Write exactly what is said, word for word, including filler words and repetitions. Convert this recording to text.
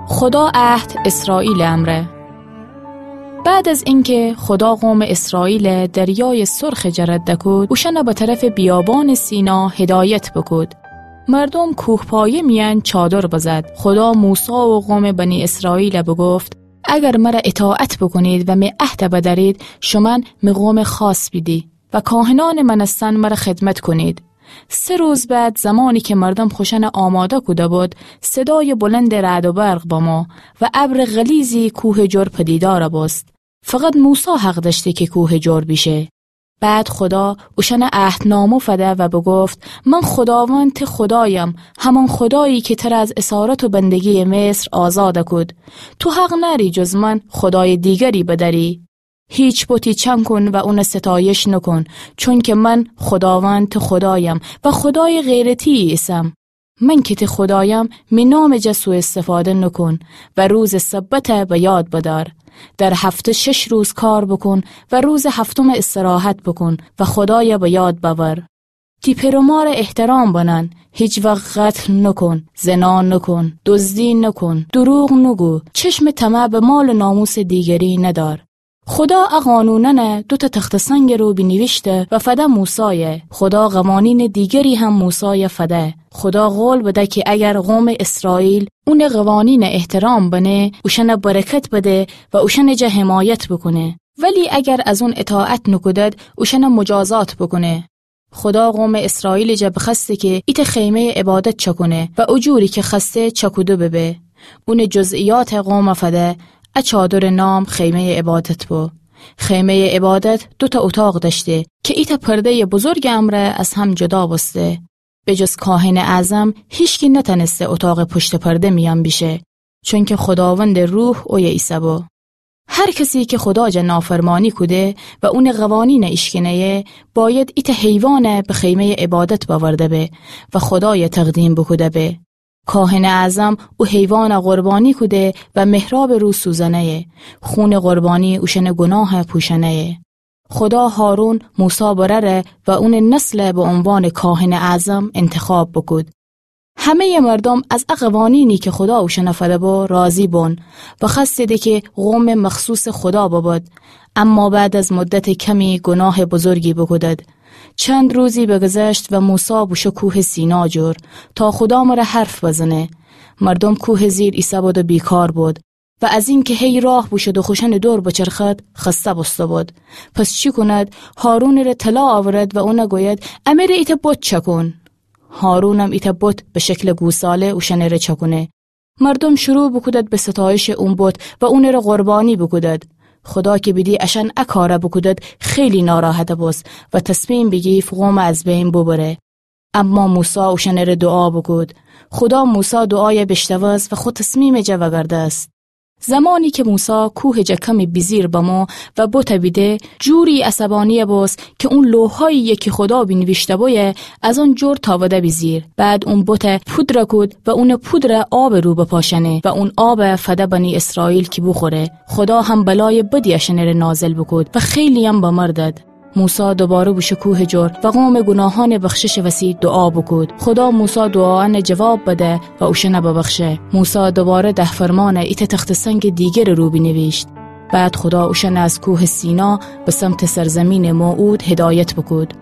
خدا عهد اسرائیل امرأ. بعد از اینکه خدا قوم اسرائیل دریای سرخ جه رد کود، اوشأن به طرف بیابان سینا هدایت بکود، مردوم کوهپایه میأن چادر بزد. خدا موسی و قوم بنی اسرائیل بگفت: اگر مر اطاعت بوکونید و می عهد بدأرید، شومأن می قوم خاص بیدی و کاهنأن مأنستن مر خدمت کونید. سه روز بعد، زمانی که مردوم خوشأن آماده کوده بود، صدای بلند رعد و برق بمو و ابر غلیظی کوه جر پدیدار بوست. فقط موسی حق دأشته که کوه جر بیشه. بعد خدا اوشأن عهدنامه فده و بگفت: من خداوند ته خدایم، همان خدایی که تر از اسارت و بندگی مصر آزاد کود. تو حق نأری جز من خدای دیگری بدأری. هیچ بتی چأن کون و اون ستایش نکون، چونکه من خداوند ته خدایم و خدای غیر تی ایسم. من که ته خدایم، می نام جا سوء استفاده نکون و روز سبت به یاد بدأر. در هفته شش روز کار بوکون و روز هفتم استراحت بوکون و خدای به یاد بأور. تی پئر و مار احترام بنن، هیچ وقت قتل نکون، زنا نکون، دزدی نکون، دروغ نگو، چشم طمع به مال و ناموس دیگری ندأر. خدا ا قانونأن دوتا تخته سنگ رو بینیویشته و فده موسای. خدا قوانین دیگری هم موسای فده. خدا قول بده که اگر قوم اسرائیل اون قوانین احترام بنه، اوشأن برکت بده و اوشأن جا حمایت بوکونه. ولی اگر از اون اطاعت نکودد، اوشأن مجازات بوکونه. خدا قوم اسرائیل جا بخوأسته که ایتأ خیمهٔ عبادت چأکونه و او جوری که خوأسته چأکوده ببه. اون جزئیات قوم فده. ا چادر نام خیمهٔ عبادت بو. خیمهٔ عبادت دوتا اتاق دأشته که ایتأ پردهٔ بزرگ امرأ از هم جدا بوسته. به جز کاهن اعظم هیچکی نتأنسته اتاق پشت پرده میأن بیشه، چونکه خداوند روح اویه ایسه بو. هر کسی که خدا جا نافرمانی کوده و اون قوانین ایشکنه‌یه، باید ایتأ حیوان به خیمهٔ عبادت بأورده به و خدای تقدیم بوکوده به. کاهن اعظم او حیوان قربانی کوده و محراب رو سوزنه‌یه. خون قربانی اوشأن گناه پوشنه‌یه. خدا هارون، موسی برأر و اون نسل به عنوان کاهن اعظم انتخاب بوکود. همهٔ مردوم از ا قوانینی که خدا اوشأن فده بو راضی بون و خوأستیدی که قوم مخصوص خدا ببد. اما بعد از مدت کمی گناه بزرگی بوکودد. چند روزی بگذشت و موسی بوشو کوه سینا جور تا خدا مره حرف بزنه. مردوم کوه زیر ایسه‌بود و بیکار بود و از اینکه هی راه بوشد و خوشأن دور بچرخد، خسته بوسته‌بود. پس چی کند؟ هارونٚ ره طلا آورد و اون گوید: امره ایتأ بت چأکون. هارونم ایتأ بت به شکل گوساله اوشأنٚ ره چأکونه. مردوم شروع بوکودد به ستایشٚ اون بت و اونٚ ره قربانی بوکودد. خدا که بیدی اشأن ا کار بوکودد، خیلی ناراحت بوست و تصمیم بیگیفت قوم از بین ببره. اما موسی اوشأنٚ ره دوعا بوکود. خدا موسی دوعای بیشنوست و خو تصمیمٚ جا وگردست. زمانی که موسی کوهٚ جا کمی بیجیر بمو و بت بیده، جوری عصبانی بوست که اون لوحایی که خدا بینیویشته بویه از اون جور تاوده بیجیر. بعد اون بت پودر کود و اون پودر آبٚ رو بپاشنه و اون آب فده بنی اسرائیل که بوخوره. خدا هم بلای بدی اشأنٚ ره نازل بوکود و خیلی‌یم بمردد. موسی دوباره بوشو کوهٚ جور و قومٚ گناهانٚ بخششٚ وسی دوعا بوکود. خدا موسی دوعایأن جواب بده و اوشأن ببخشه. موسی دوباره ده فرمان ایتأ تخته سنگٚ دیگرٚ رو بینیویشت. بعد خدا اوشأن از کوهٚ سینا به سمتٚ سرزیمینٚ موعود هدایت بوکود.